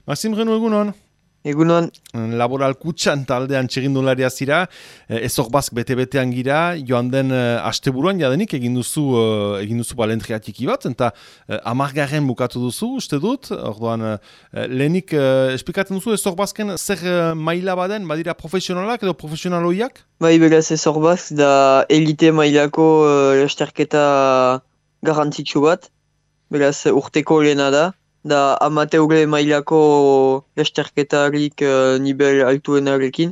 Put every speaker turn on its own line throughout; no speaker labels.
Maxim Renu, egunon.
Egunon,
Laboral Kutxan taldean txirrindularia zira, ezorbazk bete-betean gira, joan den asteburuan jadenik egin duzu balentria txiki bat, eta amargarren bukatu duzu, uste dut, orduan lehenik esplikatzen duzu ezorbazken zer maila baden, badira profesionalak edo profesionaloiak?
bai beraz ez horbaz, da elite mailako lasterketa garrantzitsu bat, beraz urteko lehena da amateure mailako lasterketarik nivel altuenarekin,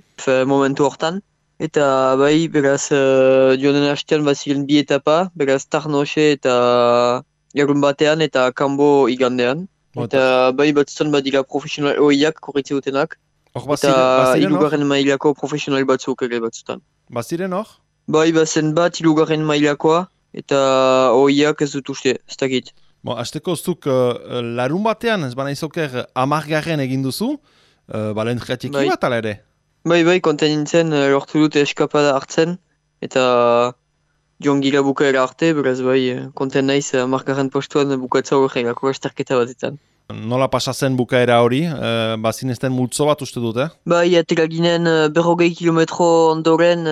momentu hortan. Eta bai, beraz, joanen hastean baziren bi etapa, beraz Tarnose eta Larun batean eta Kambo igandean. Eta bai batzutan badira profesional oiak korritze dutenak. Eta ilugarren mailako profesional batzuk ere batzutan.
Baziren hor?
Bai, bazen bat ilugarren mailakoa eta oiak ez dut uste, ez dakit.
Azteko zuk larun batean, ez bana izoker, amargarren egin duzu, balentria txiki bat ala ere?
Bai, konten nintzen, lortu dute eskapada hartzen, eta joan gira bukaera arte, beraz bai, konten naiz amargarren postuan bukatza horreilako lasterketa batetan.
Nola pasatzen bukaera hori? Bazinezten multzo bat uste dut,
Bai, atera ginen 40 kilometro ondoren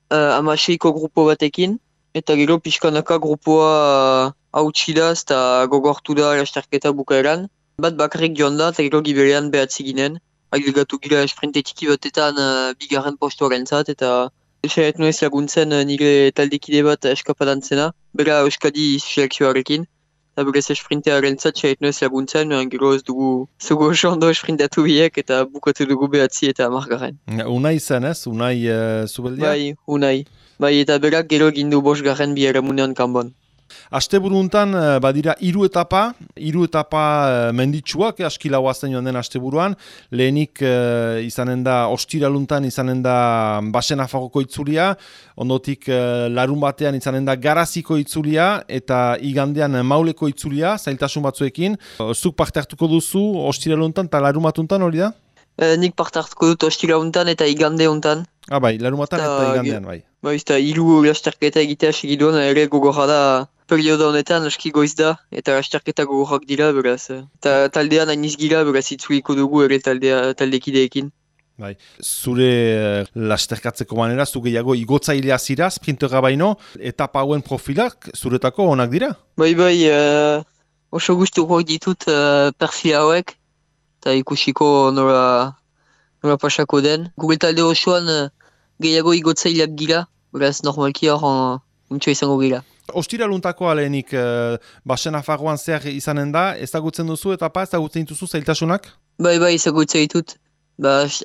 amaseiko grupo batekin, eta gero pixkanaka grupoa hautsi da eta gogortu da lasterketa bukaeran. Bat bakarrik joan da, eta gero giberean behatzi ginen. Agilgatu gira sprinte txiki batetan bigarren postuaren zat, eta saiat nuez laguntzen nire taldekide bat eskapadan zena, bera Euskadi selekzioarekin. Eta berez sprintearen zat saiat nuez laguntzen, gero ez dugu zugu oso ondo sprintatu biek, eta bukatu dugu behatzi eta amargarren.
Unai zen ez? Unai zubeldia?
Bai, Unai. Bai, eta berak gero gindu bosgarren biharamunean kanbon.
Asteburuntan badira hiru etapa menditsuak, askila guazten joan den asteburuan. Lehenik izanen da ostiraluntan izanen da Basenafagoko itzulia, ondotik larun batean izanen da Garaziko itzulia, eta igandean Mauleko itzulia, zailtasun batzuekin. Zuk parte hartuko duzu ostiraluntan eta larun batuntan hori da?
Nik parte hartuko dut ostiraluntan eta igande untan.
Bai, larun batan eta igandean, bai.
Bai, eta hiru lasterketa egitea segiduan ere gogorra da. Periodo honetan aski goiz da, eta lasterketa gogorrak dira, beraz. Eta taldean hainiz gira, beraz itzuliko dugu ere taldekideekin.
Bai. Zure lasterkatzeko manera, zu gehiago igotzailea zira, sprintera baino, etapa hauen profilak zuretako onak dira?
Bai, oso gustuko ditut perfil hauek, eta ikusiko nora pasako den. Gure talde osoan gehiago igotzaileak gira, beraz normalki hor untxo izango gira.
Ostiraluntakoa lehenik Basenafagoan zer izanen da, ezagutzen duzu etapa, ezagutzen dituzu zailtasunak?
Bai, ezagutzen ditut.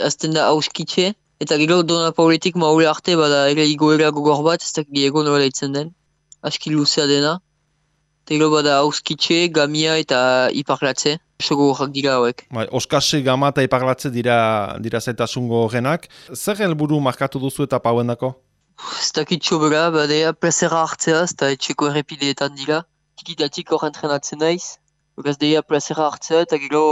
Azten da hauskitxe, eta gero Dona Pauletik Maule arte bada ere igoera gogor bat, ez da gehiago nola ditzen den. Aski luzea dena. Eta gero bada hauskitxe, gamia eta iparlatze. Oso gogorrak dira hauek.
Oskase, gama eta iparlatze dira zailtasungo genak. Zer helburu markatu duzu etapa hauen dako?
Ez dakit sobera, badea plazera hartzea, ez da etxeko errepideetan dira. Tikitatik hor entrenatzen naiz. Beraz deia plazera hartzea eta gero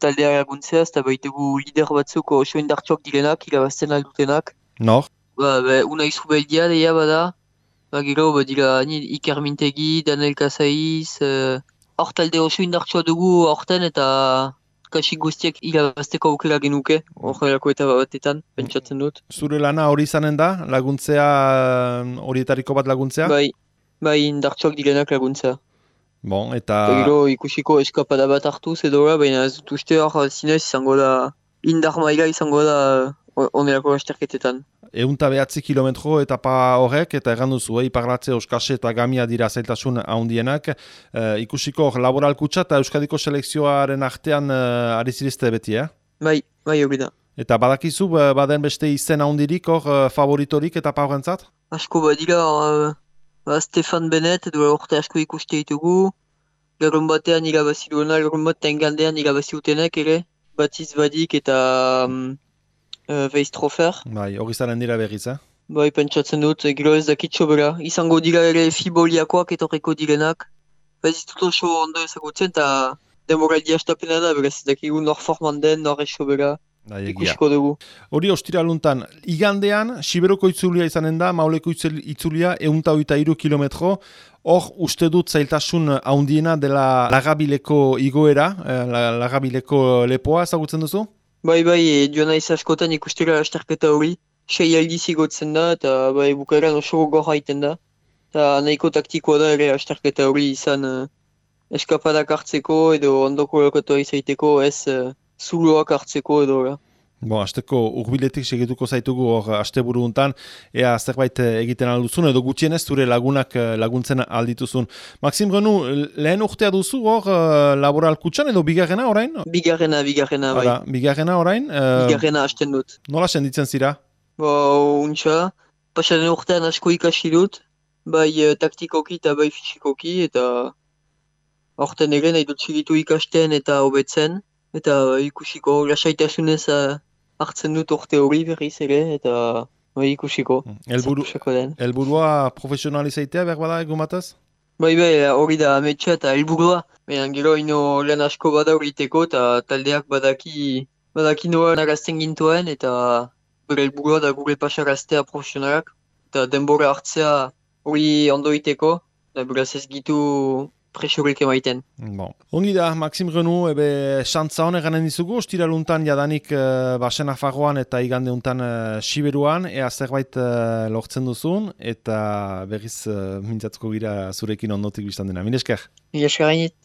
taldea laguntzea, ez da baitugu lider batzuk oso indartxoak direnak, irabazten aldutenak.
Nor?
Unai Zubeldia deia bada. Gero badira Iker Mintegi, Daniel Kasaiz. Hor talde oso indartxoa dugu horten eta kasik guztiak irabazteko aukera genuke, horrelako eta batetan, pentsatzen dut.
Zure lana hori izanen da, laguntzea, horietariko bat laguntzea?
Bai, indartxoak direnak laguntzea.
Bon, eta
gero ikusiko eskapada bat hartu zedora, baina ez dut uste hor zinez izango da, indar maila izango da onelako lasterketetan.
109 kilometro etapa horrek, eta erran duzu, iparlatze, Oskase eta Gamia dira zailtasun handienak. Ikusiko Laboral Kutxa eta Euskadiko selekzioaren artean ari zirizte beti,
Bai, hori da.
Eta badakizu, baden beste izen handirik hor favoritorik etapa horrentzat?
Asko badira, Stefan Bennett, duela urte asko ikuste ditugu. Larun batean irabazi duena, larun batean gandean irabazi utenek ere. Batiz Badik eta Weistrofer.
Bai, hori zaren dira berriz,
Bai, pentsatzen dut, gero ez dakit sobera. Izango dira ere fiboliakoak etorriko direnak. Ez ditut oso ondo ezagutzen eta demoraldia estapena da, beraz ez dakigu nor forman den, nor ez sobera. ikusiko dugu.
Hori ostiraluntan, igandean, Siberoko itzulia izanen da, Mauleko itzulia 123 kilometro, hor uste dut zailtasun haundiena dela Lagabileko igoera, Lagabileko lepoa ezagutzen duzu?
Bai, joan naiz askotan ikustera lasterketa hori, 6 aldiz igotzen da, eta bai, bukaeran oso gogorra egiten da. Eta nahiko taktikoa da ere lasterketa hori izan eskapadak hartzeko edo ondoko lokatua izaiteko, ez zuloak hartzeko edo.
Asteko urbiletik segituko zaitugu hor asteburu hontan, ea zerbait egiten alduzun edo gutxienez zure lagunak laguntzen aldituzun. Maxim Renu, lehen urtea duzu hor laboral kutxan edo bigarrena orain?
Bigarrena, bai.
Bigarrena orain?
Bigarrena hasten dut.
Nola senditzen zira?
Untxa, pasaren urtean asko ikasi dut, bai taktikoki eta bai fisikoki, eta horten ere nahi dut segitu ikasten eta hobetzen, eta ikusiko lasaitasunez hartzen dut urte hori berriz ere, eta ikusiko.
Helburua profesionalizaitea behar bada egun batez?
Bai, hori da ametsa eta helburua. Baina gero ino lan asko bada horiteko eta taldeak badaki noa narazten gintoen, eta bere helburua da gure pasaraztea profesionalak, eta denbora hartzea hori ondoiteko, eta beraz ez gitu presiorik emaiten.
Ongi da, Maxim Renu, xantza honek ganen dizugu, ostiraluntan jadanik basen afagoan eta igande untan Siberuan, ea zerbait lortzen duzun, eta berriz mintzatuko gira zurekin ondotik biztan dena. Mil esker?
Mil esker gainit.